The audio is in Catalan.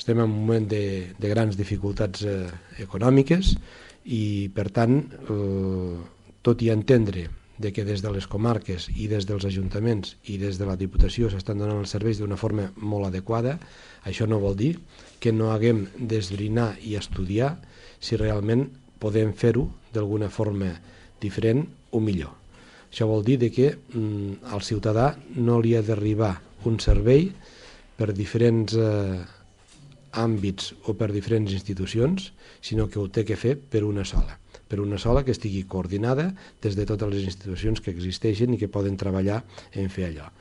estem en un moment de grans dificultats econòmiques i, per tant, tot i entendre que des de les comarques i des dels ajuntaments i des de la Diputació s'estan donant els serveis d'una forma molt adequada, això no vol dir que no haguem d'esbrinar i estudiar si realment podem fer-ho d'alguna forma diferent o millor. Això vol dir que al ciutadà no li ha d'arribar un servei per diferents àmbits o per diferents institucions, sinó que ho té que fer per una sola que estigui coordinada des de totes les institucions que existeixen i que poden treballar en fer allò.